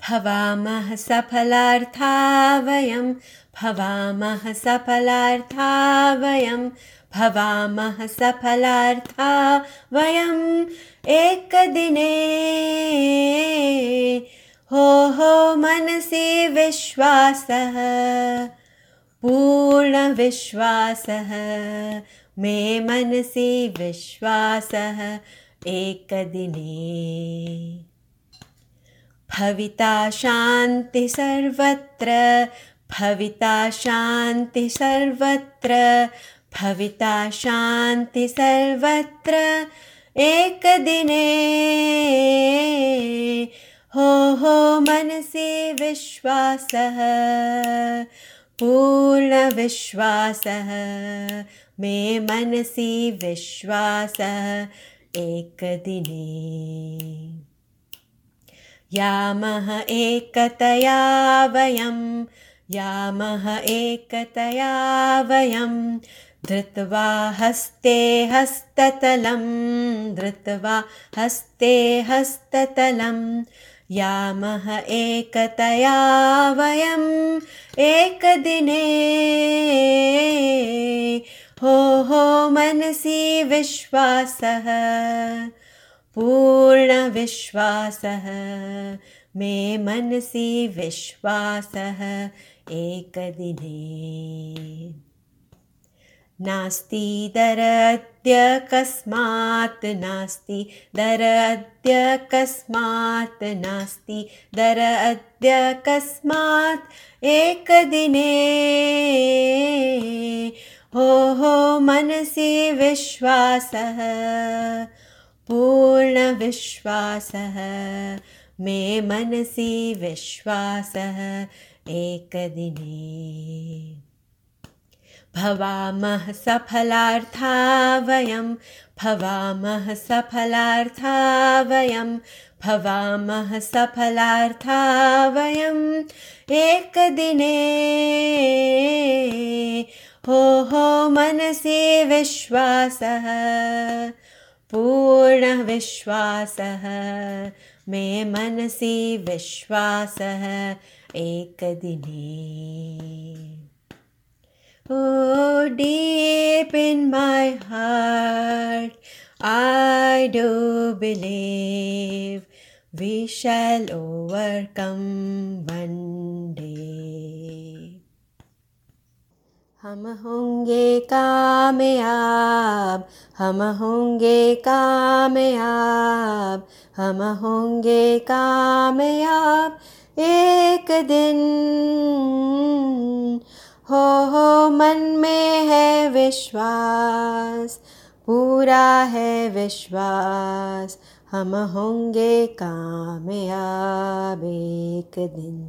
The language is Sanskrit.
भवामः सफलार्था वयं भवामः सफलार्था वयं भवामः सफलार्था वयं एकदिने हो मनसि विश्वासः पूर्णविश्वासः मे मनसि विश्वासः एकदिने भविता शान्ति सर्वत्र भविता शान्ति सर्वत्र भविता शान्ति सर्वत्र एकदिने हो मनसि विश्वासः पूर्णविश्वासः मे मनसि विश्वासः एकदिने यामः एकतया वयं यामः एकतया वयं धृत्वा हस्ते हस्ततलं धृत्वा हस्ते हस्ततलं यामः एकतया वयं एकदिने हो मनसि विश्वासः पूर्णविश्वासः मे मनसि विश्वासः एकदिने नास्ति दर अद्य कस्मात् नास्ति दर अद्य कस्मात् नास्ति दर अद्य कस्मात् एकदिने हो मनसि विश्वासः पूर्णविश्वासः मे मनसि विश्वासः एकदिने भवामः सफलार्था वयं भवामः सफलार्था वयं भवामः सफलार्था वयं एकदिने हो मनसि विश्वासः पूर्णविश्वासः मे मनसि विश्वासः एकदिने Oh, deep in my heart, I do believe we shall overcome one day. हम होंगे कामयाब हम होंगे कामयाब हम होंगे कामयाब एक दिन हो मन में है विश्वास पूरा है विश्वास हम होंगे कामयाब एक दिन।